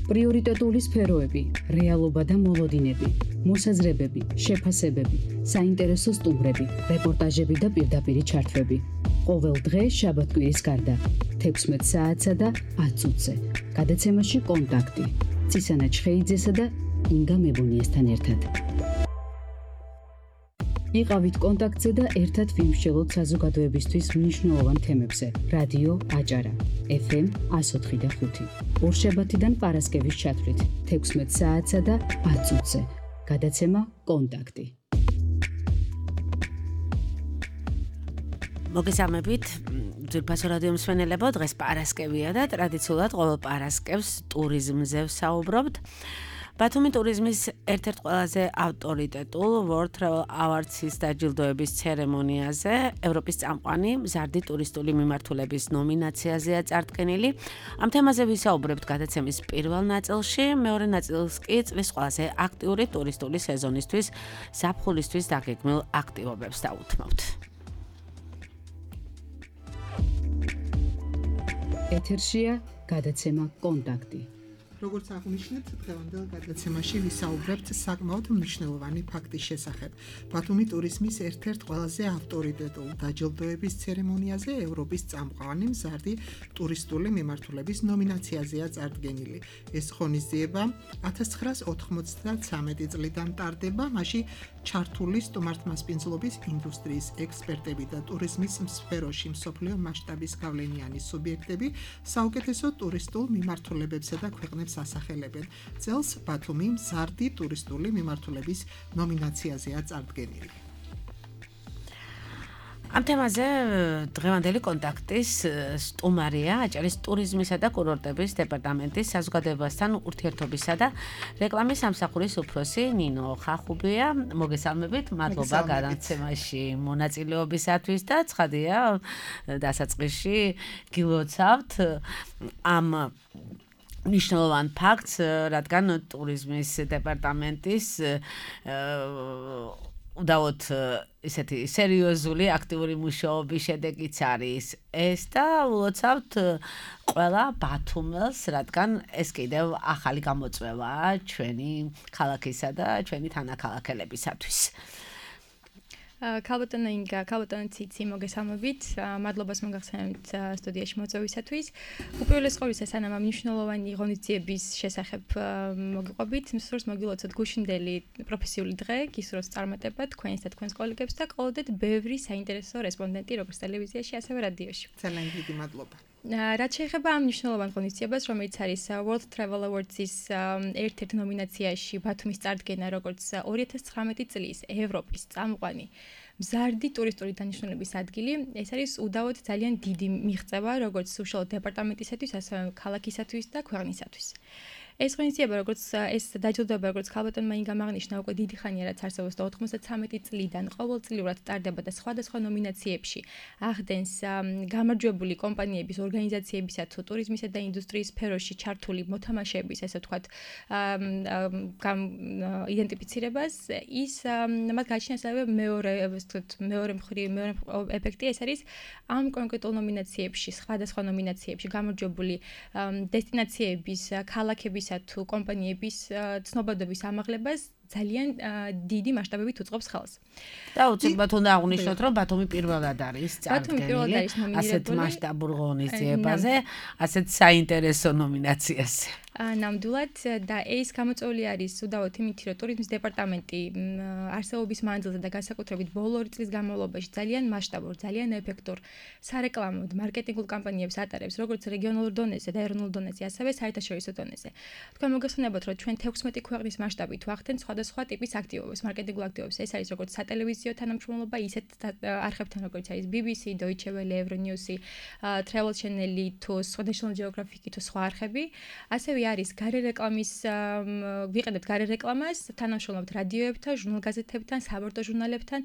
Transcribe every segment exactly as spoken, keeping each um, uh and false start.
პრიორიტეტული სფეროები, რეალობა და მოლოდინები, მოსაზრებები, შეფასებები, საინტერესო სტუმრები, რეპორტაჟები და პირდაპირი ჩართვები. ყოველ დღე შაბათ-კვირის გარდა, თექვსმეტ საათსა და ათ წუთზე. გადაცემაში კონტაქტი. ცისანა ჩხეიძესა და ინგა მებუნიესთან ერთად. იყავით კონტაქტზე და ერთად ვიმსჯელოთ საზოგადოებისთვის მნიშვნელოვან თემებზე. რადიო აჭარა, ეფ ემ εκατო ოთხი და ხუთი. ორშაბათიდან პარასკევის ჩათვლით, თექვსმეტ საათსა და ათ წუთზე. გადაცემა კონტაქტი. მოგესალმებით, ძვირფასო რადიო მსმენელებო, დღეს პარასკევია და ტრადიციულად ყოველ პარასკევს ტურიზმზე ვსაუბრობთ. ბათუმი ტურიზმის ერთ-ერთ ყველაზე ავტორიტეტულ World Travel Awards-ის დაჯილდოების ცერემონიაზე ევროპის წამყვანი მზარდი ტურისტული მიმართულების ნომინაციაზეა წარდგენილი. ამ თემაზე ვისაუბრებთ გადაცემის პირველ ნაწილში, მეორე ნაწილს კი წლის ყველაზე აქტიური ტურისტული სეზონისთვის ზაფხულისთვის დაგეგმილ აქტივობებს დავუთმობთ. ეთერშია გადაცემა კონტაქტი. როგორც აღნიშნეთ, დღევანდელ გადაცემაში ვისაუბრებთ საკმაოდ მნიშვნელოვანი ფაქტის შესახებ. ბათუმი ტურიზმის ერთ-ერთ ყველაზე ავტორიტეტულ დაჯილდოების ცერემონიაზე ევროპის წამყვანი მზარდი ტურისტული მიმართულების ნომინაციაზეა წარდგენილი. ეს ღონისძიება ათას ცხრაას ოთხმოცდათრამეტი წლიდან ტარდება, მაშინ ჩართული სტუმართმასპინძლობის ინდუსტრიის ექსპერტები და ტურიზმის სფეროში მსოფლიო მასშტაბის გავლენიანი სუბიექტები საუკეთესო ტურისტულ მიმართულებებსა და ქვეყნებს ასახელებენ. წელს ბათუმი მზარდი ტურისტული მიმართულების ნომინაციაზეა წარდგენილი. ამ თემაზე დღევანდელი კონტაქტის სტუმარია აჭარის ტურიზმისა და კურორტების დეპარტამენტის საზოგადოებასთან ურთიერთობისა და რეკლამის სამსახურის უფროსი ნინო ხახუბია. მოგესალმებით, მადლობა გადაცემაში მონაწილეობისათვის და ცხადია დასაწყისში გილოცავთ ამ მნიშვნელოვან ფაქტს, რადგან ტურიზმის დეპარტამენტის უდავოდ ისეთი სერიოზული აქტიური მუშაობის შედეგიც არის ეს და ვლოცავთ ყველა ბათუმელს, რადგან ეს კიდევ ახალი გამოწვევაა ჩვენი ქალაქისა და ჩვენი თანაქალაქელებისათვის. ქალბატონო ინგა, ქალბატონო ციცი, მოგესალმებით. მადლობას მოგახსენებთ სტუდიაში მოწვევისათვის. უპირველეს ყოვლისა, სანამ ამ მნიშვნელოვანი ღონისძიების შესახებ მოგიყვებით, მსურს მოგილოცოთ გუშინდელი პროფესიული დღე, გისურვებთ წარმატება თქვენს და თქვენს კოლეგებს და ყოლოდეთ ბევრი საინტერესო რესპონდენტი როგორც ტელევიზიაში, ასევე რადიოში. ძალიან დიდი მადლობა. რაც შეეხება ამ მნიშვნელოვან ღონისძიებას, რომელიც არის World Travel Awards-ის ერთ-ერთ ნომინაციაში ბათუმის წარდგენა, როგორც ორი ათას ცხრამეტი წლის ევროპის წამყვანი მზარდი ტურისტული დანიშნულების ადგილი, ეს არის უდავოდ ძალიან დიდი მიღწევა, როგორც უშუალოდ დეპარტამენტისათვის, ასევე ქალაქისათვის და ქვეყნისათვის. ეს ღონისძიება, როგორც ეს დაჯილდოება, როგორც ქალბატონმა ინგამ აღნიშნა, უკვე დიდი ხანია რაც არსებობს და ოთხმოცდათრამეტი წლიდან ყოველწლიურად ტარდება და სხვადასხვა ნომინაციებში ახდენს გამარჯვებული კომპანიების, ორგანიზაციებისა თუ ტურიზმისა და ინდუსტრიის სფეროში ჩართული მოთამაშეების, ესე ვთქვათ, იდენტიფიცირებას, ის მათ გააჩნია ასევე მეორე, ესე ვთქვათ, მეორე მხრივ, მეორე ეფექტი, ეს არის ამ კონკრეტულ ნომინაციებში, სხვადასხვა ნომინაციებში გამარჯვებული დესტინაციების, ქალაქების თუ კომპანიების ცნობადობის ამაღლებას ძალიან დიდი მასშტაბებით უწყობს ხელს. და უცებად უნდა აღვნიშნოთ, რომ ბათუმი პირველად არის წარდგენილი ასეთ მასშტაბურ ღონისძიებაზე, ასეთ საინტერესო ნომინაციაზე. ნამდვილად და ეს გამოწვეული არის უდავოდ იმით, რომ ტურიზმის დეპარტამენტი არსებობის მანძილზე და განსაკუთრებით ბოლო ორი წლის განმავლობაში ძალიან მასშტაბურ, ძალიან ეფექტურ სარეკლამო მარკეტინგულ კამპანიებს ატარებს, როგორც რეგიონულ დონეზე და ეროვნულ დონეზე, ასევე საერთაშორისო დონეზე. თქვენ მოგესალმებათ, რომ ჩვენ თექვსმეტი ქვეყნის მასშტაბით ვახდენთ სხვადასხვა ტიპის აქტივობებს, მარკეტინგულ აქტივობებს. ეს არის როგორც სატელევიზიო თანამშრომლობა, ისეთ არხებთან, როგორც არის ბი ბი სი, Deutsche Welle, Euronews, Travel Channel თუ National Geographic თუ სხვა არხები. ასევე არის გარე რეკლამის ვიყენებთ გარე რეკლამას, თანამშრომლობთ რადიოებთან, ჟურნალ-გაზეთებთან, საბორტო ჟურნალებთან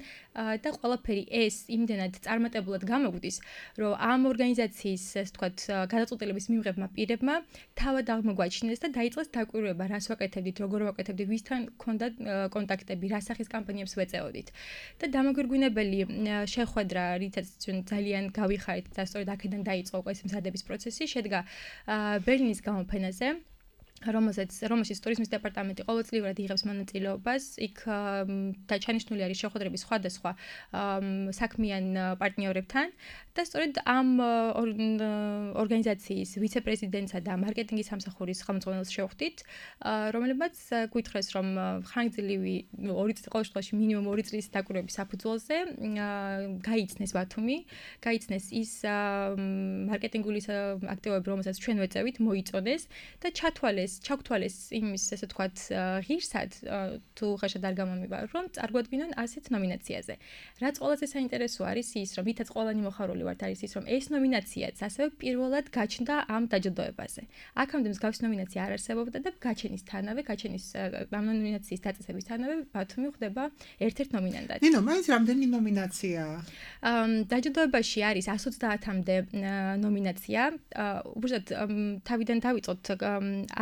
და ყველაფერი ეს იმდენად წარმატებულად გამოგვდის, რომ ამ ორგანიზაციის, ასე ვთქვათ, გადაწყვეტილების მიმღებმა პირებმა თავად აღმოგვაჩინეს და დაიწყეს დაკვირვება, რას ვაკეთებდით, როგორ ვაკეთებდით, ვისთან ქონდა კონტაქტები, რა სახის კამპანიებს ვეწეოდით. და დამოგვირგვინებელი შეხვედრა, რითაც ძალიან გავიხარეთ და სწორედ აქედან დაიწყო ეს მზადების პროცესი, შედგა ბერლინის გამოფენაზე. რომელსაც რომელშიც ტურიზმის დეპარტამენტი ყოველწლიურად იღებს მონაწილეობას, იქ დაჩანიშნული არის შეხვედრები სხვადასხვა საქმიან პარტნიორებთან და სწორედ ამ ორგანიზაციის ვიცე-პრეზიდენტსა და მარკეტინგის სამსახურის ხელმძღვანელს შევხვდით, რომელმაც გვითხრეს, რომ ხანგრძლივი ორი წლის ყოველ შემთხვევაში მინიმუმ ორი წლის დაკვირვების საფუძველზე გაიცნეს ბათუმი, გაიცნეს ის მარკეტინგული აქტივობები, რომელსაც ჩვენ ვეწევით, მოიწოდეს და ჩათვალეს ჩაგთვალეს იმის ესე ვთქვათ ღირსად თუ ხაშად არ გამომივა რომ წარგვადგინონ ასეთ ნომინაციაზე. რაც ყველაზე საინტერესო არის ის რომ ვითაც ყველანი მოხარული ვართ არის ის რომ ეს ნომინაციაც ასევე პირველად გაჩნდა ამ დაჯილდოებაზე. აქამდე მსგავსი ნომინაცია არ არსებობდა და გაჩენისთანავე, გაჩენის ამ ნომინაციის დაწესებისთანავე ბათუმი ხდება ერთ-ერთ ნომინანტად. ნინო, მაინც რამდენი ნომინაციაა? დაჯილდოებაში არის εκατს ოცდაათამდე ნომინაცია. უბრალოდ თავიდან დავიწყოთ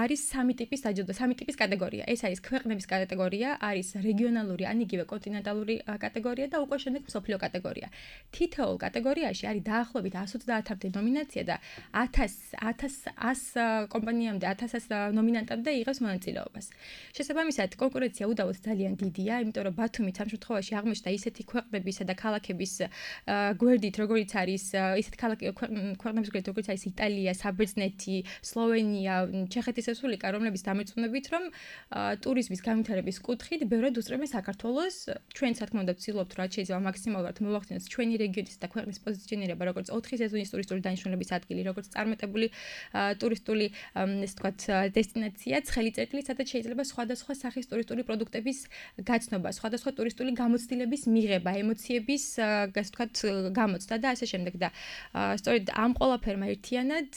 არის სამი ტიპის დაჯილდო, სამი ტიპის კატეგორია. ეს არის ქვეყნების კატეგორია, არის რეგიონალური ან იგივე კონტინენტალური კატეგორია და უკვე შემდეგ მსოფლიო კატეგორია. თითოეულ კატეგორიაში არის დაახლოებით εκατს ოცდაათამდე ნომინაცია და ათას ათას კომპანიამდე, ათას ნომინანტამდე იღებს მონაწილეობას. შესაბამისად, კონკურენცია უდავოდ ძალიან დიდია, იმიტომ რომ ბათუმი ამ შემთხვევაში აღმოჩნდა ისეთი ქვეყნებისა და ქალაქების გვერდით, როგორიც არის ისეთ ქვეყნების გვერდით, როგორიც არის იტალია, საბერძნეთი, სლოვენია, ჩეხეთის რესპუბლიკა, რომლებიც დამეწუნებით, რომ ტურიზმის განვითარების კუთხით ბევრად უსწრებენ საქართველოს. ჩვენ თქმა უნდა ვცდილობთ, რაც შეიძლება მაქსიმალურად მოვახდინოთ ჩვენი რეგიონის და ქვეყნის პოზიციონირება, როგორც ოთხი სეზონის ტურისტული დანიშნულების ადგილი, როგორც წარმატებული ტურისტული, ესე ვთქვათ, დესტინაცია, ცხელი წერტილი, სადაც შეიძლება სხვადასხვა სახის ტურისტული პროდუქტების გაცნობა, სხვადასხვა ტურისტული გამოცდილების მიღება, ემოციების, ასე ვთქვათ, გამოცდა და ასე შემდეგ და სწორედ ამ ყველაფერმა ერთიანად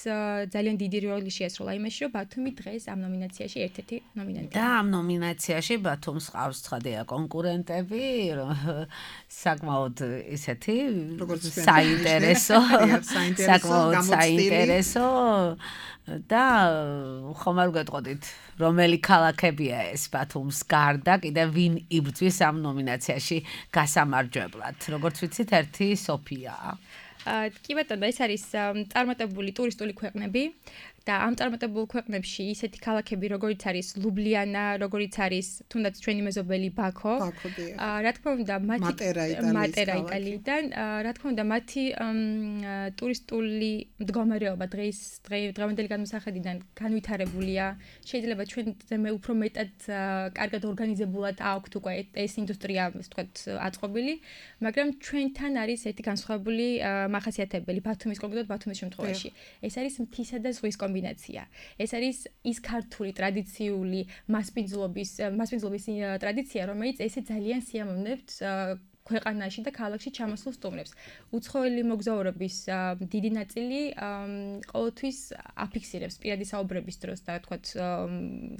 ძალიან დიდი როლი შეასრულა იმაში, რომ ბათუმი დღეს ამ ნომინაციაში ერთ-ერთი ნომინანტია. და ამ ნომინაციაში ბათუმს ყავს ცხადია კონკურენტები, საკმაოდ ისეთი საინტერესო, საკმაოდ საინტერესო და ხომ არ გეტყოდით, რომელი ქალაქებია ეს ბათუმს გარდა, კიდე ვინ იბრძვის ამ ნომინაციაში გასამარჯვებლად. როგორც ვიცით, ერთი სოფიაა. კი ბატონო, ეს არის წარმატებული ტურისტული ქვეყნები. და ამ წარმატებულ ქვეყნებში ისეთი ქალაქები, როგორიც არის ლუბლიანა, როგორიც არის თუნდაც ჩვენი მეზობელი ბაქო. რა თქმა უნდა, მათი მატერა იტალიიდან, რა თქმა უნდა, მათი ტურისტული მდგომარეობა დღეს დღევანდელი განმსახედიდან განვითარებულია. შეიძლება ჩვენზე უფრო მეტად კარგად ორგანიზებულად აქვთ უკვე ეს ინდუსტრია, ასე ვთქვათ, აწყობილი, მაგრამ ჩვენთან არის ერთი განსხვავებული მახასიათებელი ბათუმის კონკრეტულად ბათუმის შემთხვევაში. ეს არის მთისა და ზღვის კომბინაცია. ეს არის ის ქართული ტრადიციული მასპინძლობის მასპინძლობის ტრადიცია, რომელიც ესე ძალიან სიამოვნებთ ქვეყანაში და ქალაქში ჩამოსულ სტუმრებს. უცხოელი მოგზაურობის დიდი ნაწილი ყოველთვის აფიქსირებს პირადი საუბრების დროს და თქვათ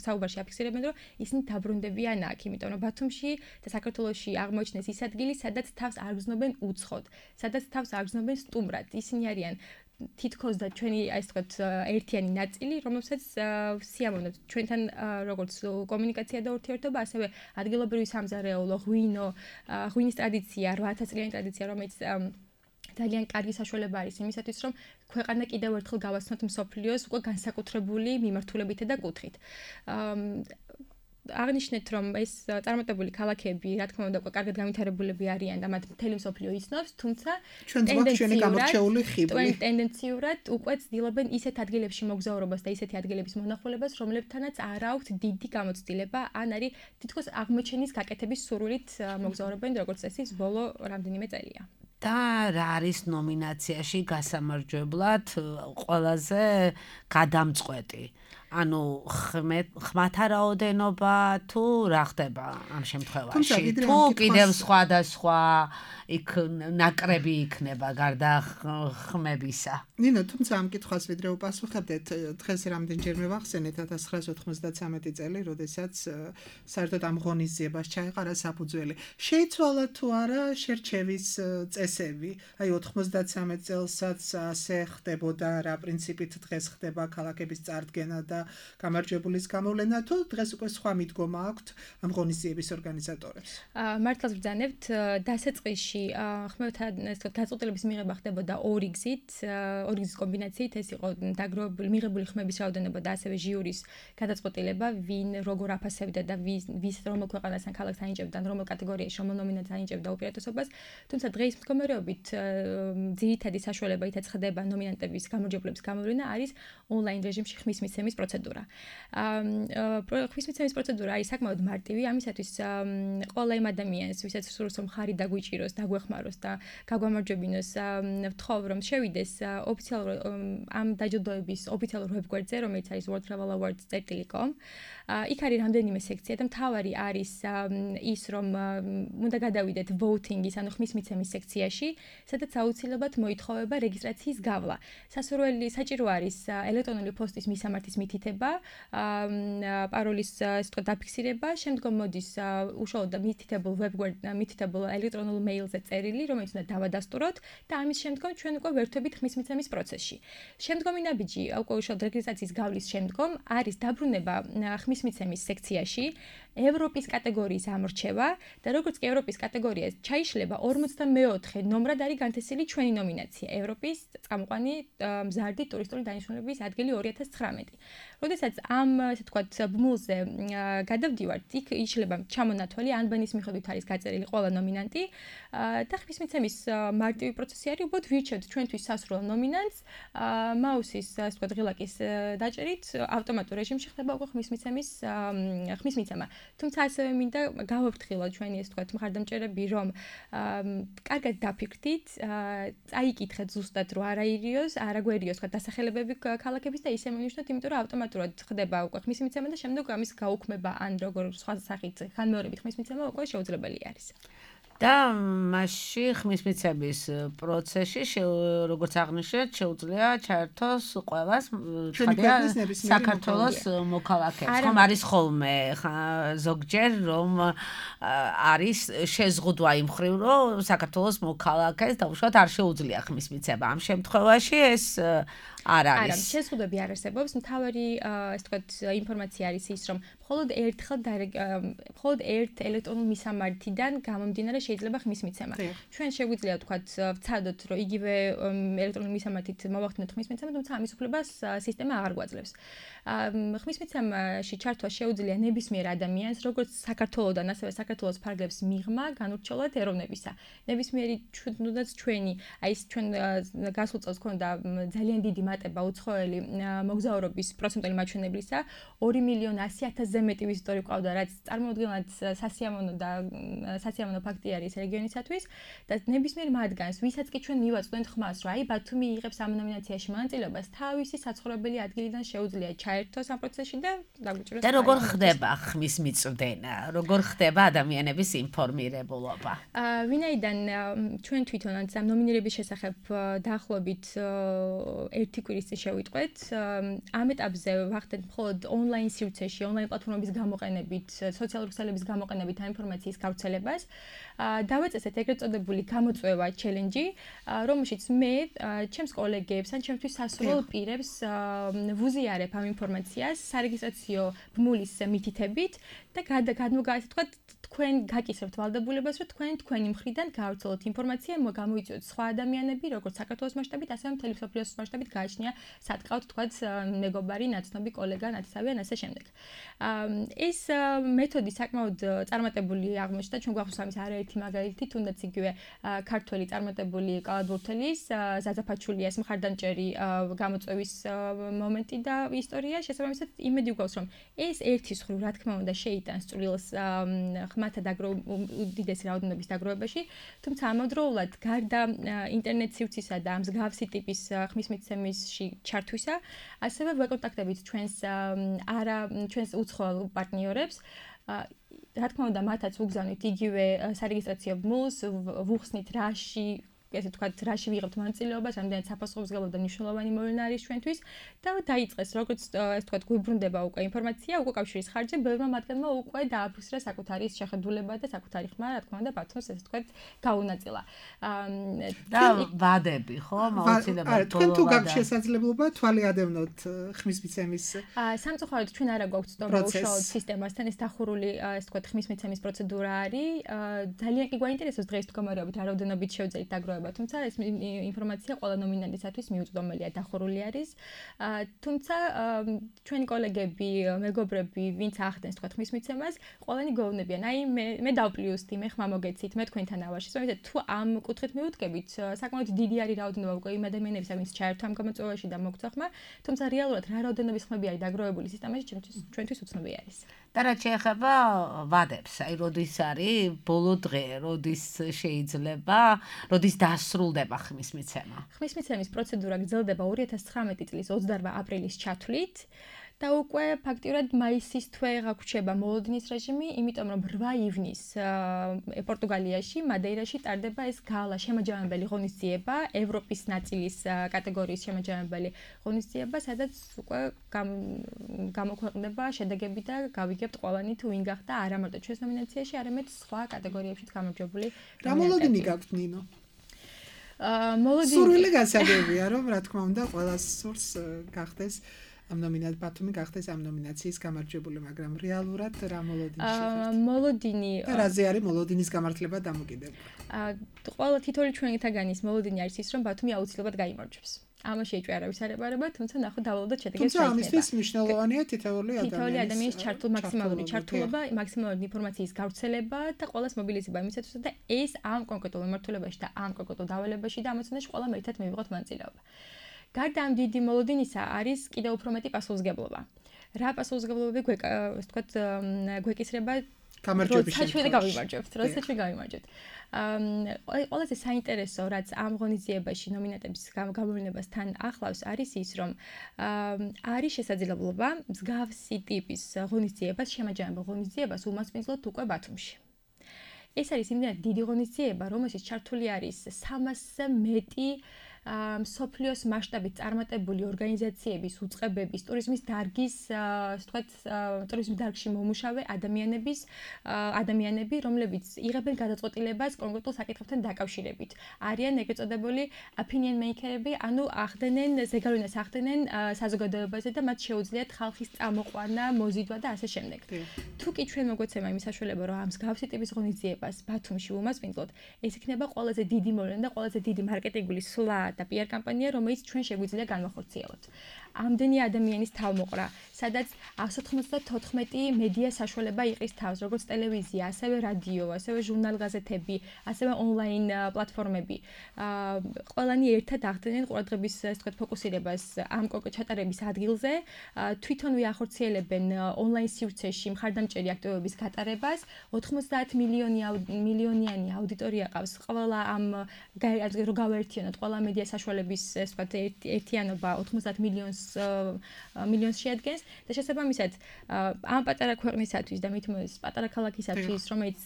საუბარში აფიქსირებენ, რომ ისინი დაბრუნდებიან აქ, იმიტომ რომ ბათუმში და საქართველოში აღმოჩნდეს ის ადგილი, სადაც თავს არ გრძნობენ უცხოდ, სადაც თავს არ გრძნობენ სტუმრად. ისინი არიან თითქოს და ჩვენი ასე ვთქვათ ერთიანი ნაწილი, რომელსაც სიამოვნებთ ჩვენთან როგორც კომუნიკაცია და ურთიერთობა, ასევე ადგილობრივი სამზარეულო, ღვინო, ღვინის ტრადიცია, რვაათას წლიანი ტრადიცია, რომელიც ძალიან კარგი საშუალება არის იმისათვის, რომ ქვეყანა კიდევ ერთხელ გავაცნოთ მსოფლიოს უკვე განსაკუთრებული მიმართულებითა და კუთხით. აღნიშნეთ, რომ ეს წარმატებული ქალაქები, რა თქმა უნდა, უკვე კარგად განვითარებულები არიან და მათ მთელი მსოფლიო იცნობს, თუმცა ტენდენციურად უკვე ცდილობენ ისეთ ადგილებში მოგზაურობას და ისეთი ადგილების მონახულებას, რომლებთანაც არ აქვთ დიდი გამოცდილება, ან არის თითქოს აღმოჩენის გაკეთების სურვილით მოგზაურობენ, როგორც წესი, ბოლო რამდენიმე წელია. და რა არის ნომინაციაში გასამარჯვებლად ყველაზე გადამწყვეტი? ანუ ხმათა რაოდენობა თუ რა ხდება ამ შემთხვევაში? თუ კიდევ სხვადასხვა იქ ნაკრები იქნება გარდა ხმებისა? ნინო, თუმცა ამ კითხვას ვიდრე უპასუხებდეთ, დღეს რამდენჯერმე ვახსენეთ ათას ცხრაასი ოთხმოცდათსამეტი წელი, როდესაც საერთოდ ამ ღონისძიებას ჩაეყარა საფუძველი. შეიცვალა თუ არა შერჩევის წესები? აი ოთხმოცდათსამეტ წელსაც ასე ხდებოდა, რა პრინციპით დღეს ხდება ქალაქების წარდგენა და გამარჯვებულის გამოვლენა თუ დღეს უკვე სხვა მიდგომა აქვთ ამ ღონისძიების ორგანიზატორებს? მართლაც ვბრძანებთ, დასაწყისში ხმელთან ეს თქო გაწყვეტილების მიღება ხდებოდა ორი გზით, ორი გზის კომბინაციით, ეს იყო დაგროვებული მიღებული ხმების რაოდენობა და ასევე ჟიურის გადაწყვეტილება, ვინ როგორ აფასებდა და ვის რომელ ქვეყანასთან ქალაქს ანიჭებდა, რომელ კატეგორიაში, რომელ ნომინანტს ანიჭებდა უპირატესობას. თუმცა დღეის მდგომარეობით ძირითადი საშუალება ითაც ხდება ნომინანტების გამარჯვებულების გამოვლენა არის ონლაინ რეჟიმში ხმის მიცემის პროცედურა. ხმის მიცემის პროცედურა არის საკმაოდ მარტივი, ამისათვის ყველა იმ ადამიანს, ვისაც სურს რომ ხარი დაგვიჭიროს, დაგვეხმაროს და გაგვამარჯვებინოს, ვთხოვ რომ შევიდეს ოფიციალურ ამ დაჯილდოების ოფიციალურ ვებგვერდზე, რომელიც არის world travel awards dot com. იქ არის რამდენიმე სექცია და მთავარი არის ის რომ უნდა გადავიდეთ voting-ის, ანუ ხმის მიცემის სექციაში, სადაც აუცილებლად მოითხოვება რეგისტრაციის გავლა. სასურველი საჭირო არის ელექტრონული პოსტის მისამართის მითითება, პაროლის ასე ვთქვათ დაფიქსირება, შემდგომ მოდის უშუალოდ მითითებულ ვებგვერდ მითითებულ ელექტრონულ მეილზე წერილი, რომელიც უნდა დავადასტუროთ და ამის შემდგომ ჩვენ უკვე ვერთვებით ხმის მიცემის პროცესში. შემდგომი ნაბიჯი, უკვე უშუალოდ რეგისტრაციის გავლის შემდგომ არის დაბრუნება ხმის მიცემის სექციაში, ევროპის კატეგორიის ამორჩევა და როგორც კი ევროპის კატეგორიას ჩაიშლება ორმოცდამეოთხე ნომრად არის განთესილი ჩვენი ნომინაცია ევროპის წამყვანი მზარდი ტურისტული დანიშნულების ადგილი ორი ათას ცხრამეტი. როდესაც ამ ასე ვთქვათ ბმულზე გადავდივართ, იქ იშლება ჩამონათვალი, ანბანის მიხედვით არის გაწერილი ყველა ნომინანტი და ხმის მიცემის მარტივი პროცესი არის, უბრალოდ ვირჩევთ ჩვენთვის სასურველ ნომინანტს, მაუსის ასე ვთქვათ ღილაკის დაჭერით ავტომატურ რეჟიმში ხდება უკვე ხმის მიცემის ხმის მიცემა. თუმცა ასევე მინდა გავაფრთხილოთ ჩვენი ასე ვთქვათ მხარდამჭერები, რომ კარგად დაფიქრდით, წაიკითხეთ ზუსტად რომ არ აირიოს, არ აგვერიოს თქვა დასახელებები ქალაქების და ისე მივნიშნოთ, იმიტომ რომ ავტომატურად ხდება უკვე ხმის მიცემა და შემდეგ ამის გაუქმება ან როგორ სხვა სახით ხანმეორებით ხმის მიცემა უკვე შეუძლებელი არის. და მასში ხმის მიცემის პროცესში როგორც აღნიშნეთ, შეუძლია ჩაერთოს ყველას ხადია საქართველოს მოქალაქეებს. ხომ არის ხოლმე ზოგჯერ რომ არის შეზღუდვა იმ მხრივ, რომ საქართველოს მოქალაქეს დაუშვათ არ შეუძლია ხმის მიცემა. ამ შემთხვევაში ეს არ არის. არა, შეზღუდვები არ არსებობს. მთავარი ასე ვთქვათ ინფორმაცია არის ის, რომ მხოლოდ ერთხელ მხოლოდ ერთ ელექტრონულ მისამართიდან გამომდინარე შეიძლება ხმის მიცემა. ჩვენ შეგვიძლია ვთქვათ ვცადოთ, რომ იგივე ელექტრონული მისამართით მოვახდინოთ ხმის მიცემა, თუმცა ამის უფლებას სისტემა აღარ გვაძლევს. ხმის მიცემაში ჩართვა შეუძლია ნებისმიერ ადამიანს, როგორც საქართველოსდან, ასევე საქართველოს ფარგლებს მიღმა განურჩევლად ეროვნებისა. ნებისმიერი თუნდაც ჩვენი, აი ეს ჩვენ გასულ წელს ქონდა ძალიან დიდი მატება უცხოელი მოგზაურობის პროცენტული მაჩვენებლისა, ორი მილიონი ასი ათასზე მეტი ვიზიტორი ყავდა, რაც წარმოუდგენლად სასიამოვნო და სასიამოვნო ფაქტი არის რეგიონისათვის და ნებისმიერ მათგანს, ვისაც კი ჩვენ მივაწვდენთ ხმას, რომ აი ბათუმი იღებს ამ ნომინაციაში მონაწილეობას, თავისი საცხოვრებელი ადგილიდან შეუძლია ჩაერთოს ამ პროცესში და დაგვიჭიროს. და როგორ ხდება ხმის მიწვდენა? როგორ ხდება ადამიანების ინფორმირებულობა? ვინაიდან ჩვენ თვითონაც ამ ნომინირების შესახებ დაახლოებით ერთი კვირის წინ შევიტყვეთ, ამ ეტაპზე ვახდენთ მხოლოდ ონლაინ სივრცეში, ონლაინ პლატფორმების გამოყენებით, სოციალური ქსელების გამოყენებით ამ ინფორმაციის გავრცელებას. დავაწესეთ ეგრეთ წოდებული გამოწვევა ჩელენჯი, რომელშიც მე ჩემს კოლეგებს ან ჩემთვის სასურველ პირებს ვუზიარებ ამ ინფორმაციას სარეგისტრაციო ბმულის მითითებით და გადმოგააცეთ თქვა თქვენ გაკისრებთ ვალდებულებას, რომ თქვენ თქვენი მხრიდან გაავრცელოთ ინფორმაცია, გამოიწვიოთ სხვა ადამიანები, როგორც საქართველოს მასშტაბით, ასევე მთელი მსოფლიოს მასშტაბით გააჩნია სატყავთ თქვა მეგობარი, ნაცნობი კოლეგა, ნათესავი ან ასე შემდეგ. ეს მეთოდი საკმაოდ წარმატებული აღმოჩნდა, ჩვენ გვახსოვს ამის არაერთი მაგალითი, თუნდაც იგივე ქართველი წარმატებული კალათბურთელის ზაზაფაჩულიას მხარდამჭერი გამოწვევის მომენტი და ისტორია, შესაბამისად იმედი გვაქვს, რომ ეს ერთის მხრივ რა თქმა უნდა შეიტანს წვრილს ხმათა უდიდესი რაოდენობის დაგროვებაში, თუმცა ამავდროულად გარდა ინტერნეტ სივრცისა და ამ მსგავსი ტიპის ხმის მიცემისში ჩართვისა, ასევე ვეკონტაქტებით ჩვენს არა ჩვენს უცხოელ პარტნიორებს. რა თქმა უნდა, მათაც ვუგზავნით იგივე სარეგისტრაციო ბმულს, ვუხსნით რაში ესე ვთქვათ, რაში ვიღებთ მონაწილეობას, რამდენად საფასურებელო და მნიშვნელოვანი მოვლენა არის ჩვენთვის და დაიწყეს, როგორც ესე ვთქვათ, გვიბრუნდება უკვე ინფორმაცია, უკვე კავშირის ხარჯზე, ბევრმა მათგანმა უკვე დააფიქსირა საკუთარი შეხედულება და საკუთარი ხმა, რა თქმა უნდა, ბათუმს ესე ვთქვათ, გაუნაწილა. და ვადები, ხო? აუცილებლად თქვენ თუ გაქვთ შესაძლებლობა თვალი ადევნოთ ხმის მიცემის სამწუხაროდ ჩვენ არა გვაქვს ცნობა უშუალოდ სისტემასთან ეს დახურული ესე ვთქვათ ხმის მიცემის პროცედურა არის. ძალიან კი გვაინტერესებს დღეს თუ გამარჯვებით რა რაოდენობით შევძლებთ დაგროვება, თუმცა ეს ინფორმაცია ყველა ნომინანტისათვის მიუწვდომელია, დახურული არის. თუმცა ჩვენი კოლეგები, მეგობრები, ვინც ახდენს თქვა ხმის მიცემას, ყველანი გეუბნებიან, აი მე მე დავპლიუსტი, მე ხმა მოგეცით, მე თქვენთან ავარში. ისე თუ ამ კუთხით მივუდგებით, საკმაოდ დიდი არის რაოდენობა უკვე იმ ადამიანებისა, ვინც ჩაერთვა ამ გამოწვევაში და მოგცა ხმა, თუმცა რეალურად რა რაოდენობის ხმები არის დაგროვებული სისტემაში, ჩვენთვის უცნობი არის. და რაც შეეხება ვადებს, აი როდის არის ბოლო დღე, როდის შეიძლება, როდის დასრულდება ხმის მიცემა? ხმის მიცემის პროცედურა გრძელდება ორი ათას ცხრამეტი წლის ოცდაოთხ აპრილის ჩათვლით და უკვე ფაქტიურად მაისის თვე გაგვჩება მოლოდინის რეჟიმი, იმიტომ რომ რვა ივნისს პორტუგალიაში, მადეირაში ტარდება ეს გალა შემაჯამებელი ღონისძიება, ევროპის ნაწილის კატეგორიის შემაჯამებელი ღონისძიება, სადაც უკვე გამოქვეყნდება შედეგები და გავიგებთ ყველანი თუ ვინ გახდა არა მარტო ჩვენს ნომინაციაში, არამედ სხვა კატეგორიებშიც გამარჯვებული. რა მოლოდინი გაქვთ ნინო? აა მოლოდინი სურვილი გასაგებია, რომ რა თქმა უნდა ყველას სურს გახდეს ამ ნომინაციით ბათუმი გახდეს ამ ნომინაციის გამარჯვებული, მაგრამ რეალურად რა მოლოდინი შეხვდით? აა მოლოდინი და რაზე არის მოლოდინის გამართლება დამოკიდებული? აა ყველა თითოეული ჩვენთაგანის მოლოდინი არის ის, რომ ბათუმი აუცილებლად გაიმარჯვებს. ამაში ეჭვი არავის არ ებარება, თუმცა ნახოთ დავალოდოთ შედეგებს თუმცა ამისთვის მნიშვნელოვანია თითოეული ადამიანის თითოეული ადამიანის ჩართულ მაქსიმალური ჩართულობა, მაქსიმალური ინფორმაციის გავრცელება და ყველას მობილიზება იმისათვის, და ეს ამ კონკრეტულ მიმართულებაში და ამ კონკრეტულ დავალებაში და ამოცანაში ყველამ ერთად მივიღოთ მონაწილეობა. გარდა ამ დიდი მოლოდინისა არის კიდევ უფრო მეტი პასუხისმგებლობა. რა პასუხისმგებლობები გვეკ ასე ვთქვათ გვეკისრება გამარჯვების შემთხვევაში. ჩვენ გავიმარჯვებთ, როდესაც ჩვენ გავიმარჯვებთ. აა ყველაზე საინტერესო რაც ამ ღონისძიებაში ნომინანტების გამოვლენებას თან ახლავს არის ის, რომ აა არის შესაძლებლობა მსგავსი ტიპის ღონისძიებას, შემაჯამებელ ღონისძიებას უმასპინძლოთ უკვე ბათუმში. ეს არის იმდენად დიდი ღონისძიება, რომელშიც ჩართული არის სამასზე მეტი მსოფლიოს მასშტაბით წარმატებული ორგანიზაციების, უწყებების, ტურიზმის დარგის, ასე ვთქვათ, ტურიზმის დარგში მომუშავე ადამიანების, ადამიანები, რომლებიც იღებენ გადაწყვეტილებას კონკრეტულ საკითხებთან დაკავშირებით. არიან ეგრეთ წოდებული opinion maker-ები, ანუ ახდენენ ზეგავლენას ახდენენ საზოგადოებაზე და მათ შეუძლიათ ხალხის წამოყვანა, მოზიდვა და ასე შემდეგ. თუ კი ჩვენ მოგვეცემა იმის საშუალება, რომ ამ მსგავსი ტიპის ღონისძიებას ბათუმში უმასპინძლოთ, ეს იქნება ყველაზე დიდი მოვლენა და ყველაზე დიდი მარკეტინგული სვლა და პიარ კამპანია, რომელიც ჩვენ შეგვიძლია განვახორციელოთ. ამდენი ადამიანის თავმოყრა, სადაც εκατს ოცდაოთხმეტი მედია საშუალება იყრის თავს, როგორც ტელევიზია, ასევე რადიო, ასევე ჟურნალ-გაზეთები, ასევე ონლაინ პლატფორმები. ყველანი ერთად ახდენენ ყურადღების ასე ვთქვათ ფოკუსირებას ამ ჩატარების ადგილზე, თვითონ ვიახორციელებენ ონლაინ სივრცეში მხარდამჭერი აქტივობების გატარებას, ოთხმოცდაათ მილიონიანი აუდიტორია ყავს ყველა ამ რო გავაერთიანოთ ყველა მედია საშუალების ასე ვთქვათ ერთიანობა ოთხმოცდაათ მილიონს მილიონს შეადგენს და შესაბამისად ამ პატარა ქვეყნისათვის და მით უმეტეს პატარა ქალაქისათვის, რომელიც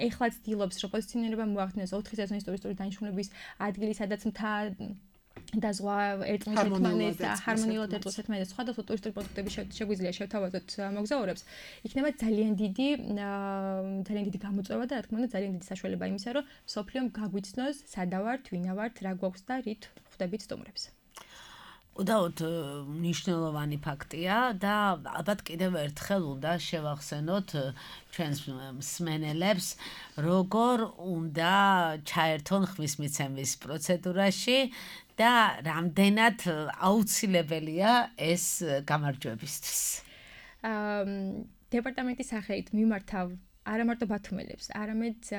ეხლა ცდილობს რომ პოზიციონირება მოახდინოს ოთხი სეზონის ტურისტული დანიშნულების ადგილი, სადაც მთა და ზღვა ერთმანეთს ერთმანეთს ჰარმონიულად ერთმანეთს ერთმანეთს სხვადასხვა ტურისტული პროდუქტები შეგვიძლია შევთავაზოთ მოგზაურებს, იქნება ძალიან დიდი ძალიან დიდი გამოწვევა და რა თქმა უნდა ძალიან დიდი საშუალება იმისა, რომ მსოფლიომ გაგვიცნოს სადა ვართ, ვინა ვართ, რა გვაქვს და რით ხვდებით სტუმრებს. უდაოდ მნიშვნელოვანი ფაქტია და ალბათ კიდევ ერთხელ უნდა შევახსენოთ ჩვენს მსმენელებს, როგორ უნდა ჩაერთონ ხმის მიცემის პროცედურაში და რამდენად აუცილებელია ეს გამარჯვებისთვის. დეპარტამენტის სახელით მიმართავ არა მარტო ბათუმელებს, არამედ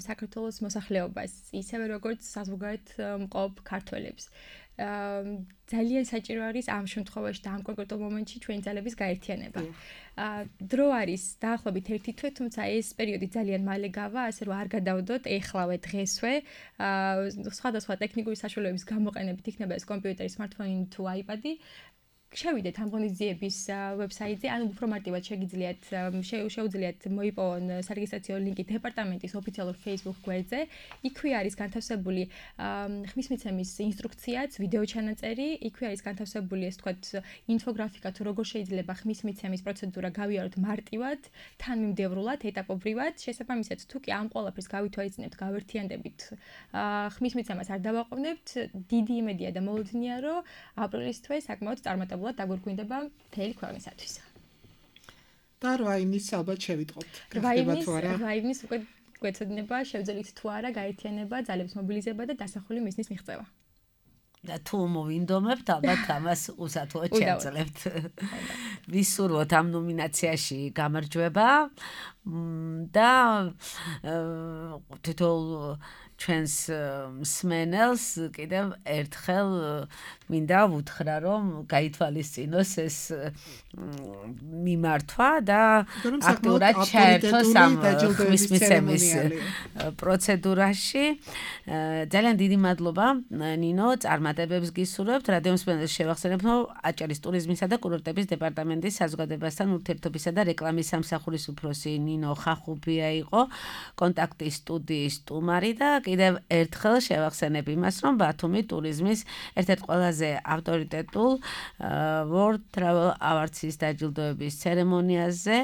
საქართველოს მოსახლეობას, ისევე როგორც საზოგადოებრივ მყოფ ქართველებს. ძალიან საჭირო არის ამ შემთხვევაში და ამ კონკრეტულ მომენტში ჩვენი ძალების გაერთიანება. დრო არის დაახლოებით ერთი თვე, თუმცა ეს პერიოდი ძალიან მალე გავა, ასე რომ არ გადავდოთ ეხლავე დღესვე. სხვადასხვა ტექნიკური საშუალებების გამოყენებით იქნება ეს კომპიუტერი, smartphone თუ iPad-ი. შევიდეთ ამ ღონისძიების ვებსაიტზე, ანუ უფრო მარტივად შეგიძლიათ შეუძლიათ მოიპოვონ სარეგისტრაციო ლინკი დეპარტამენტის ოფიციალურ Facebook გვერდზე. იქვე არის განთავსებული ხმის მიცემის ინსტრუქციაც, ვიდეო ჩანაწერი, იქვე არის განთავსებული ეს თქვათ ინფოგრაფიკა თუ როგორ შეიძლება ხმის მიცემის პროცედურა გავიაროთ მარტივად, თანმიმდევრულად, ეტაპობრივად. შესაბამისად, თუ კი ამ ყველაფერს გავითვალისწინებთ, გავერთიანდებით, ხმის მიცემას არ დავაყოვნებთ, დიდი იმედია და მოლოდინია, რომ აპრილის თვე საკმაოდ წარმატებულად დაგვირგვინდება მთელი ქვეყნისათვის. და რვა ივნის ალბათ შევიტყობთ. რვა ივნის უკვე გვეცოდინება შევძელით თუ არა გაერთიანება, ძალების მობილიზება და დასახული მიზნის მიღწევა. და თუ მოვინდომებთ, ალბათ ამას უსათუოდ შევძლებთ. ვისურვოთ ამ ნომინაციაში გამარჯვება და თითოეულ ჩვენს მსმენელს კიდევ ერთხელ მინდა ვუთხრა, რომ გაითვალისწინოს ეს მიმართვა და აქტიურად ჩაერთოს ამ ხმის მიცემის პროცედურაში. ძალიან დიდი მადლობა, ნინო, წარმატებებს გისურვებთ. რადიო მსმენელს შევახსენებ, რომ აჭარის ტურიზმისა და კურორტების დეპარტამენტის საზოგადოებასთან ურთიერთობისა და რეკლამის სამსახურის უფროსი ნინო ხახუბია იყო კონტაქტის სტუდიის სტუმარი და კიდევ ერთხელ შევახსენებ იმას, რომ ბათუმი ტურიზმის ერთ-ერთ ყველაზე ავტორიტეტულ World Travel Awards-ის დაჯილდოების ცერემონიაზე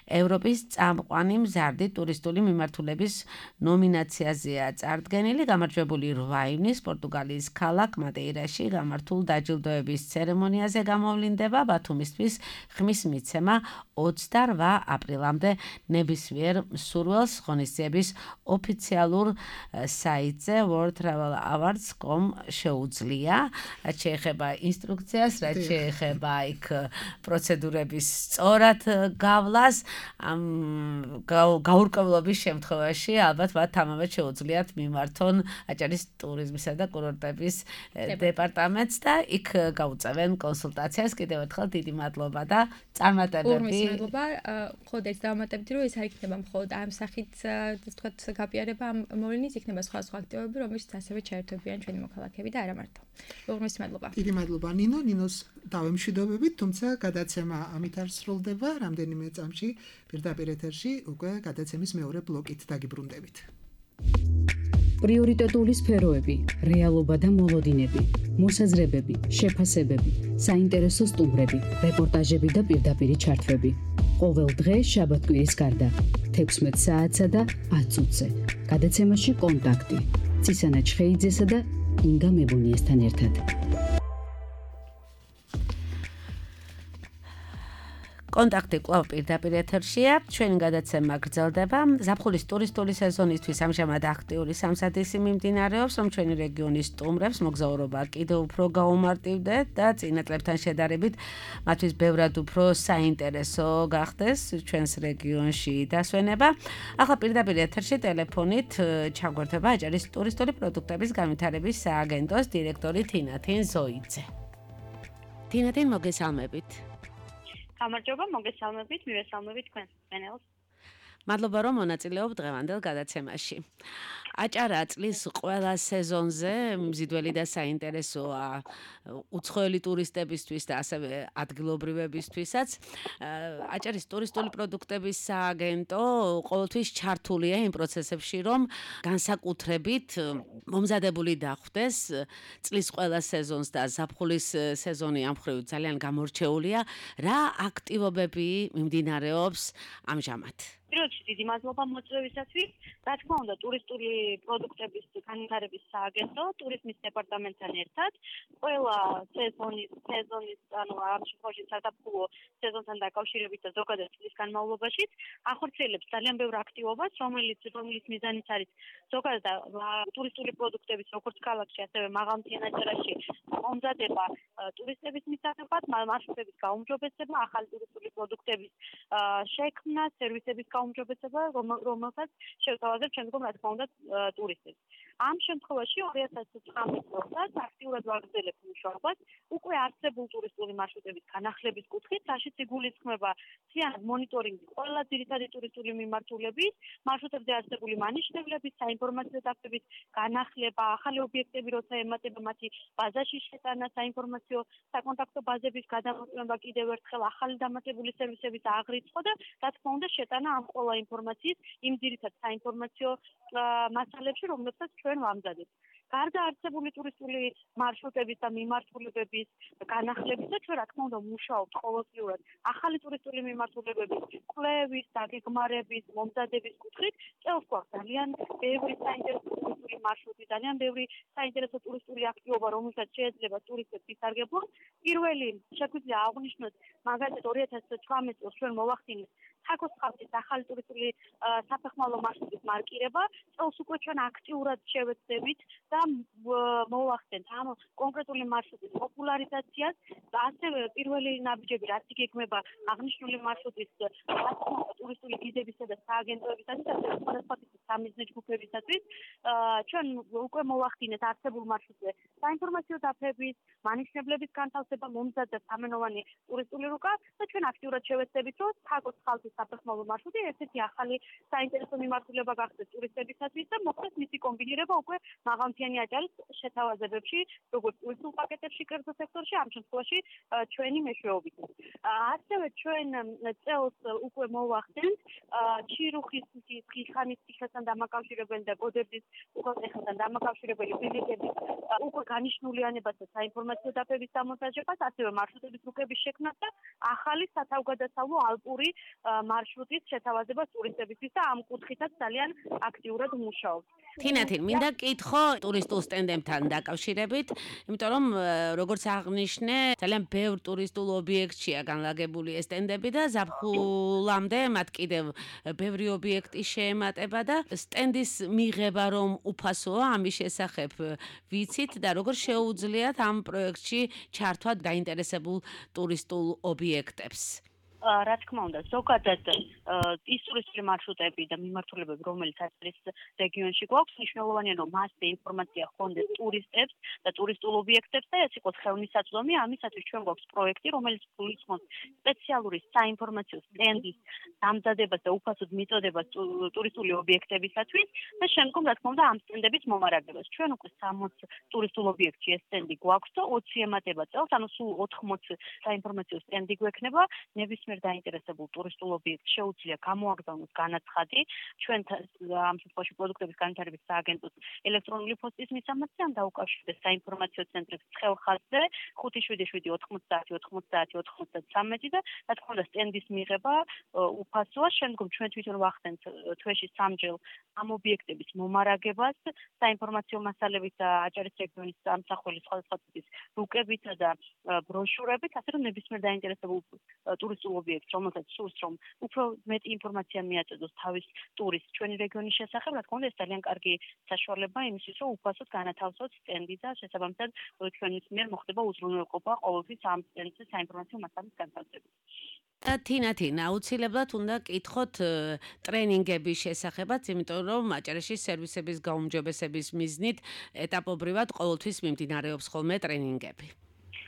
ევროპის წამყვანი მზარდი ტურისტული მიმართულების ნომინაციაზეა წარდგენილი. გამარჯვებული რვა ივნის პორტუგალიის ქალაქ მადეირაში გამართულ დაჯილდოების ცერემონიაზე გამოვლინდება ბათუმისთვის ხმის მიცემა ოცდარვა აპრილამდე ნებისმიერ მსურველს ღონისძიების ოფიციალურ საიტზე world travel awards dot com შეუძლია. რაც შეეხება ინსტრუქციას, რაც შეეხება იქ პროცედურების სწორად გავლას, ამ გაურკვევლობის შემთხვევაში ალბათ მათ თამამად შეუძლიათ მიმართონ აჭარის ტურიზმისა და კურორტების დეპარტამენტს და იქ გაუწევენ კონსულტაციას. კიდევ ერთხელ დიდი მადლობა და წარმატებები. მადლობა. მხოლოდ ეს დავამატებდი, რომ ეს არ იქნება მხოლოდ ამ სახით, ვთქვათ, გაპიარება ამ მოვლინის, იქნება სხვა სხვა აქტივობები, რომელშიც ასევე ჩაერთვებიან ჩვენი მოქალაქეები და არა მარტო. უღრმესი მადლობა. დიდი მადლობა ნინო, ნინოს დავემშვიდობებით, თუმცა გადაცემა ამით არ სრულდება, რამდენიმე წამში პირდაპირ ეთერში უკვე გადაცემის მეორე ბლოკით დაგიბრუნდებით. პრიორიტეტული სფეროები, რეალობა და მოლოდინები, მოსაზრებები, შეფასებები, საინტერესო სტუმრები, რეპორტაჟები და პირდაპირი ჩართვები. ყოველ დღე შაბათ-კვირის გარდა თექვსმეტ საათსა და ათ წუთზე. გადაცემაში კონტაქტი ცისანა ჩხეიძესა და ინგა მებუნიესთან ერთად. კონტაქტი კვლავ პირდაპირ ეთერშია. ჩვენი გადაცემა გრძელდება. ზაფხულის ტურისტული სეზონისთვის ამჟამად აქტიური სამსადისი მიმდინარეობს, რომ ჩვენი რეგიონის სტუმრებს მოგზაურობა კიდევ უფრო გაუმარტივდეთ და წინა წლებთან შედარებით მათთვის ბევრად უფრო საინტერესო გახდეს ჩვენს რეგიონში დასვენება. ახლა პირდაპირ ეთერში ტელეფონით ჩაგვერთვება აჭარის ტურისტული პროდუქტების განვითარების სააგენტოს დირექტორი თინათინ ზოიძე. თინათინ, მოგესალმებით. გამარჯობა, მოგესალმებით, მივესალმებით თქვენს მსმენელს. მადლობა, რომ მონაწილეობ დღევანდელ გადაცემაში. აჭარა წლის ყველა სეზონზე მზიდველი და საინტერესოა უცხოელი ტურისტებისთვის და ასევე ადგილობრივებისთვისაც. აჭარის ტურისტული პროდუქტების სააგენტო ყოველთვის ჩართულია იმ პროცესებში, რომ განსაკუთრებით მომზადებული დახვდეს წლის ყველა სეზონს და ზაფხულის სეზონი ამ მხრივ ძალიან გამორჩეულია. რა აქტივობები მიმდინარეობს ამჟამად? პირველში დიდი მადლობა მოწვევისათვის. რა თქმა უნდა, ტურისტული პროდუქტების განვითარების სააგენტო ტურიზმის დეპარტამენტთან ერთად ყველა სეზონის სეზონის ანუ ამ შემთხვევაში საზაფხულო სეზონთან დაკავშირებით და ზოგადად წლის განმავლობაში ახორციელებს ძალიან ბევრ აქტივობას, რომელიც რომელიც მიზანიც არის ზოგადად ტურისტული პროდუქტების როგორც ქალაქში, ასევე მაღალმთიან აჭარაში მომზადება ტურისტების მისაღებად, მარშრუტების გაუმჯობესება, ახალი ტურისტული პროდუქტების შექმნა, სერვისების გაუმჯობესება, რომელსაც შევთავაზებ შემდგომ რა თქმა უნდა ტურისტებს. ამ შემთხვევაში ორი ათას ოცდაათი წელს აქტიურად ვაგრძელებთ მუშაობას უკვე არსებულ ტურისტული მარშრუტების განახლების კუთხით, რაშიც იგულისხმება მთლიანად მონიტორინგი ყველა ძირითადი ტურისტული მიმართულების, მარშრუტებზე არსებული მანიშნებლების, საინფორმაციო დაფების განახლება, ახალი ობიექტები როცა ემატება მათი ბაზაში შეტანა, საინფორმაციო საკონტაქტო ბაზების გადამოწმება, კიდევ ერთხელ ახალი დამატებული სერვისების აღრიცხვა და რა თქმა უნდა შეტანა ამ ყველა ინფორმაციის იმ ძირითად საინფორმაციო მასალებში, რომლებსაც ჩვენ ვამზადებთ. გარდა არსებული ტურისტული მარშრუტების და მიმართულებების განახლებისა, ჩვენ რა თქმა უნდა მუშაობთ ყოველწლიურად ახალი ტურისტული მიმართულებების კვლევის, დაგეგმარების, მომზადების კუთხით. წელს გვაქვს ძალიან ბევრი საინტერესო ტურისტული მარშრუტი, ძალიან ბევრი საინტერესო ტურისტული აქტივობა, რომელსაც შეიძლება ტურისტებს ისარგებლონ. პირველი შეგვიძლია აღვნიშნოთ მაგალითად ორი ათას ცხრამეტ წელს ჩვენ მოვახდინეთ თაკოს ხალხის ახალი ტურისტული საფეხმავლო მარშრუტის მარკირება. წელს უკვე ჩვენ აქტიურად შევეცდებით და მოვახდენთ ამ კონკრეტული მარშრუტის პოპულარიზაციას. ასევე პირველი ნაბიჯები, რაც იგეგმება აღნიშნული მარშრუტის ტურისტული გიდებისა და სააგენტოებისათვის, ასევე სხვადასხვა ტიპის სამიზნე ჯგუფებისათვის, ჩვენ უკვე მოვახდინეთ არსებულ მარშრუტზე საინფორმაციო დაფების, მანიშნებლების განთავსება, მომზადდა სამენოვანი ტურისტული რუკა და ჩვენ აქტიურად შევეცდებით, რომ თაკოს ხალხის საფეხმავლო მარშრუტი ერთ-ერთი ახალი საინტერესო მიმართულება გახდეს ტურისტებისათვის და მოხდეს მისი კომბინირება უკვე მაღალმთიანი აჭარის შეთავაზებებში, როგორც ტურისტულ პაკეტებში კერძო სექტორში, ამ შემთხვევაში ჩვენი მეშვეობით. ასევე ჩვენ წელს უკვე მოვახდენთ ჩირუხის ხიხანის ციხესთან დამაკავშირებელი და გოდერძის უღელტეხილთან დამაკავშირებელი ბილიკების უკვე განიშნულიანებას და საინფორმაციო დაფების დამონტაჟებას, ასევე მარშრუტების რუკების შექმნას და ახალი სათავგადასავლო ალპური მარშრუტის შეთავაზებას ტურისტებისთვის და ამ კუთხითაც ძალიან აქტიურად მუშაობთ. თინათინ, მინდა კითხო ტურისტულ სტენდებთან დაკავშირებით, იმიტომ რომ როგორც აღნიშნე, ძალიან ბევრ ტურისტულ ობიექტშია განლაგებული ეს სტენდები და ზაფხულამდე მათ კიდევ ბევრი ობიექტი შეემატება და სტენდის მიღება რომ უფასოა, ამის შესახებ ვიცით და როგორ შეუძლიათ ამ პროექტში ჩართვა დაინტერესებულ ტურისტულ ობიექტებს. რა თქმა უნდა, ზოგადად ის ტურისტული მარშრუტები და მიმართულებები, რომელიც არის რეგიონში გვაქვს, მნიშვნელოვანია, რომ მასზე ინფორმაცია ჰქონდეს ტურისტებს და ტურისტულ ობიექტებს და ეს იყოს ხელმისაწვდომი. ამისათვის ჩვენ გვაქვს პროექტი, რომელიც გულისხმობს სპეციალური საინფორმაციო სტენდის დამზადებას და უფასოდ მიწოდებას ტურისტული ობიექტებისათვის და შემდგომ, რა თქმა უნდა, ამ სტენდების მომარაგებას. ჩვენ უკვე სამოცი ტურისტულ ობიექტში ეს სტენდი გვაქვს და ოცი ემატება წელს, ანუ სულ ოთხმოცი საინფორმაციო სტენდი გვექნება. ნებისმიერ დაინტერესებულ ტურისტულ ობიექტს შეუძლია გამოაგზავნოს განაცხადი ჩვენ ამ შემთხვევაში პროდუქტების განვითარების სააგენტოს ელექტრონული პოსტის მისამართი ან დაუკავშირდეს საინფორმაციო ცენტრებს ცხელხაზზე ხუთი შვიდი შვიდი ოთხმოცდაათი ოთხმოცდაათი ოთხმოცდათვრამეტი და რა თქმა უნდა სტენდის მიღება უფასოა. შემდგომ ჩვენ თვითონ ვახდენთ თვეში სამჯერ ამ ობიექტების მომარაგებას საინფორმაციო მასალებით და აჭარის რეგიონის სამსახურის სხვადასხვა ტიპის რუკებით და ბროშურებით, ასე რომ ნებისმიერ დაინტერესებულ ტურისტულ ობიექტს, რომელსაც სურს, რომ უფრო მეტი ინფორმაცია მიაწოდოს თავის ტურისტს ჩვენი რეგიონის შესახებ, რა თქმა უნდა, ეს ძალიან კარგი საშუალება იმისთვის, რომ უფასოდ განათავსოთ სტენდი და შესაბამისად ჩვენის მიერ მოხდება უზრუნველყოფა ყოველთვის ამ სტენდზე საინფორმაციო მასალის განთავსებით. თინათინ, აუცილებლად უნდა კითხოთ ტრენინგების შესახებაც, იმიტომ რომ აჭარაში სერვისების გაუმჯობესების მიზნით ეტაპობრივად ყოველთვის მიმდინარეობს ხოლმე ტრენინგები.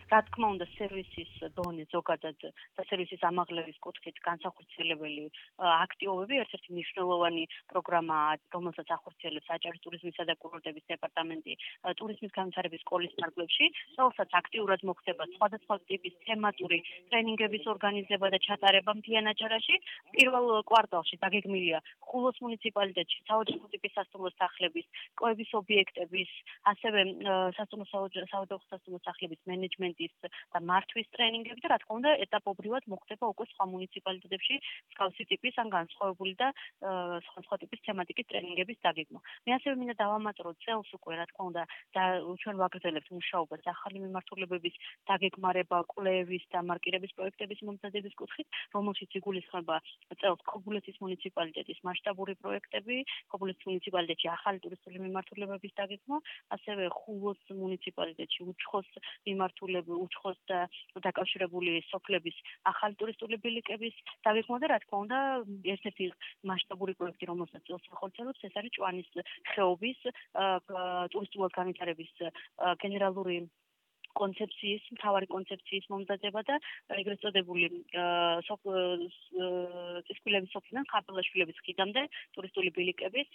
რა თქმა უნდა, სერვისის დონე ზოგადად და სერვისის ამაღლების კუთხით განსახორციელებელი აქტივობები ერთ-ერთი მნიშვნელოვანი პროგრამაა, რომელსაც ახორციელებს აჭარის ტურიზმისა და კურორტების დეპარტამენტი ტურიზმის განვითარების სკოლის ფარგლებში, რომელსაც აქტიურად მოხდება სხვადასხვა ტიპის თემატური ტრენინგების ორგანიზება და ჩატარება მთლიან აჭარაში. პირველ კვარტალში დაგეგმილია ხულოს მუნიციპალიტეტში საოჯახო ტიპის სასტუმრო სახლების, კვლევის ობიექტების, ასევე სასტუმრო საოჯახო სასტუმრო სახლების მენეჯმენტ და მართვის ტრენინგები და რა თქმა უნდა ეტაპობრივად მოხდება უკვე სხვა მუნიციპალიტეტებში მსგავსი ტიპის ან განსხვავებული და სხვადასხვა ტიპის თემატიკის ტრენინგების დაგეგმა. მე ასევე მინდა დავამატრო წელს უკვე რა თქმა უნდა და ჩვენ ვაგრძელებთ მუშაობას ახალი მიმართულებების დაგეგმარება, კვლევის და მარკირების პროექტების მომზადების კუთხით, რომელშიც იგულისხმება წელს ქობულეთის მუნიციპალიტეტის მასშტაბური პროექტები, ქობულეთის მუნიციპალიტეტში ახალი ტურისტული მიმართულებების დაგეგმა, ასევე ხულოს მუნიციპალიტეტში უჩხოს მიმართულება უცხოს და დაკავშირებული სოფლების ახალი ტურისტული ბილიკების დაგეგმვა და რა თქმა უნდა ერთ-ერთი მასშტაბური პროექტი რომელსაც წელს ახორციელებს ეს არის ჭვანის ხეობის ტურისტულად განვითარების გენერალური კონცეფციის, მთავარი კონცეფციის მომზადება და ეგრეთ წოდებული წისქვილების სოფლიდან ხარბელაშვილების ხიდამდე ტურისტული ბილიკების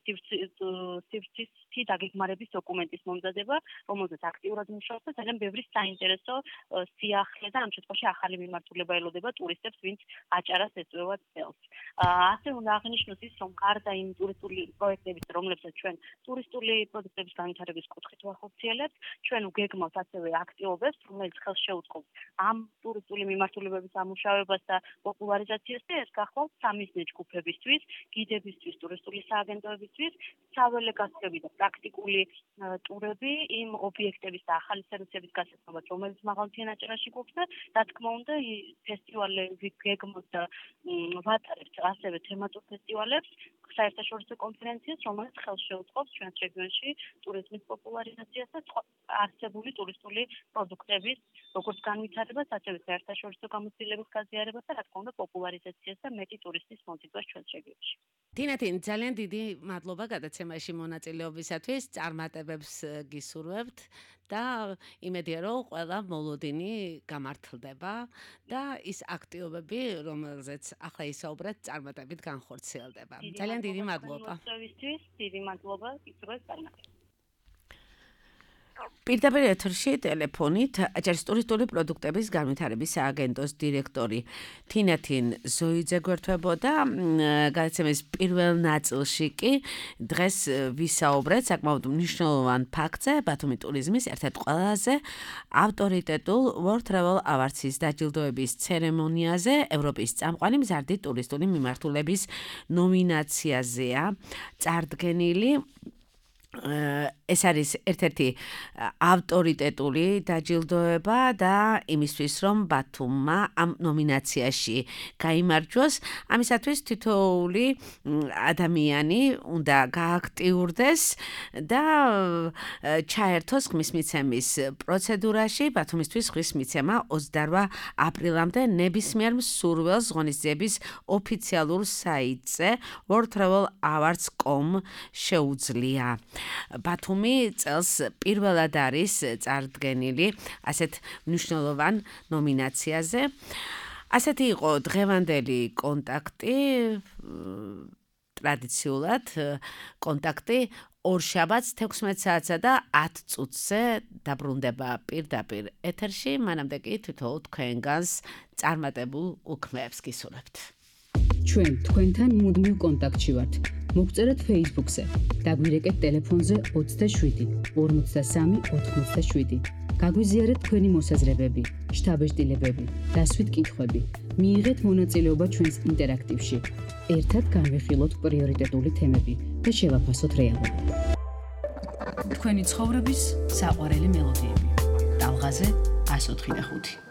სივრცის დაგეგმარების დოკუმენტის მომზადება, რომელზეც აქტიურად მუშაობს და ძალიან ბევრი საინტერესო სიახლე და ამ შემთხვევაში ახალი მიმართულება ელოდება ტურისტებს, ვინც აჭარას ეწევა წელს. ასე უნდა აღნიშნოს ის, რომ გარდა იმ ტურისტული პროექტების, რომლებსაც ჩვენ ტურისტული პროდუქტების განვითარების კუთხით ვახორციელებთ, ჩვენ ვგეგმავთ ასევე აქტივობებს, რომელიც ხელს შეუწყობს ამ ტურისტული მიმართულებების ამუშავებას და პოპულარიზაციას და ეს გახლავთ სამიზნე ჯგუფებისთვის, გიდებისთვის, ტურისტული სააგენტოებისთვის, საველე გასწრები და პრაქტიკული ტურები იმ ობიექტების და ახალი სერვისების გასაცნობად, რომელიც მაღალმთიან აჭარაში გვაქვს და რა თქმა უნდა ფესტივალები გეგმავთ და ვატარებთ ასევე თემატურ ფესტივალებს, საერთაშორისო კონფერენციას, რომელიც ხელს შეუწყობს ჩვენს რეგიონში ტურიზმის პოპულარიზაციას და არსებული ტურისტული პროდუქტების როგორც განვითარებას, ასევე საერთაშორისო გამოცდილების გაზიარებას და რა თქმა უნდა პოპულარიზაციას და მეტი ტურისტის მოზიდვას ჩვენს რეგიონში. თინათინ, ძალიან დიდი მადლობა გადაცემაში მონაწილეობისათვის, წარმატებებს გისურვებთ და იმედია რომ ყველა მოლოდინი გამართლდება და ის აქტივობები, რომელზეც ახლა ისაუბრეთ, წარმატებით განხორციელდება. ძალიან დიდი მადლობა. დიდი მადლობა, გისურვებთ წარმატებებს. პირდაპირ ეთერში ტელეფონით აჭარის ტურისტული პროდუქტების განვითარების სააგენტოს დირექტორი თინათინ ზოიძე გვერდებოდა. გადაცემის პირველ ნაწილში კი დღეს ვისაუბრეთ საკმაოდ მნიშვნელოვან ფაქტზე, ბათუმი ტურიზმის ერთ-ერთ ყველაზე ავტორიტეტულ World Travel Awards-ის დაჯილდოების ცერემონიაზე, ევროპის წამყვანი მზარდი ტურისტული მიმართულების ნომინაციაზეა წარდგენილი. ეს არის ერთ-ერთი ავტორიტეტული დაჯილდოება და იმისთვის რომ ბათუმმა ამ ნომინაციაში გაიმარჯვოს, ამისათვის თითოეული ადამიანი უნდა გააქტიურდეს და ჩაერთოს ხმის მიცემის პროცედურაში. ბათუმისთვის ხმის მიცემა ოცდაოთხ აპრილამდე ნებისმიერ მსურველს ღონისძიების ოფიციალურ საიტზე world travel awards dot com შეუძლია. ბათუმი წელს პირველად არის წარდგენილი ასეთ მნიშვნელოვან ნომინაციაზე. ასეთი იყო დღევანდელი კონტაქტი, ტრადიციულად კონტაქტი ორშაბათს თექვსმეტ საათსა და ათ წუთზე დაბრუნდება პირდაპირ ეთერში, მანამდე კი თითოეულ თქვენგანს წარმატებულ უქმეებს გისურვებთ. ჩვენ თქვენთან მუდმივ კონტაქტში ვართ. მოგწერეთ Facebook-ზე, დაგვირეკეთ ტელეფონზე ოცდაშვიდი ორმოცდასამი ოთხმოცდაშვიდი. გაგვიზიარეთ თქვენი მოსაზრებები, შთაბეჭდილებები, დასვით კითხვები. მიიღეთ მონაწილეობა ჩვენს ინტერაქტივში. ერთად განვიხილოთ პრიორიტეტული თემები და შევაფასოთ რეალობა. თქვენი ცხოვრების საყვარელი მელოდიები. ტალღაზე ას ოთხი და ხუთი.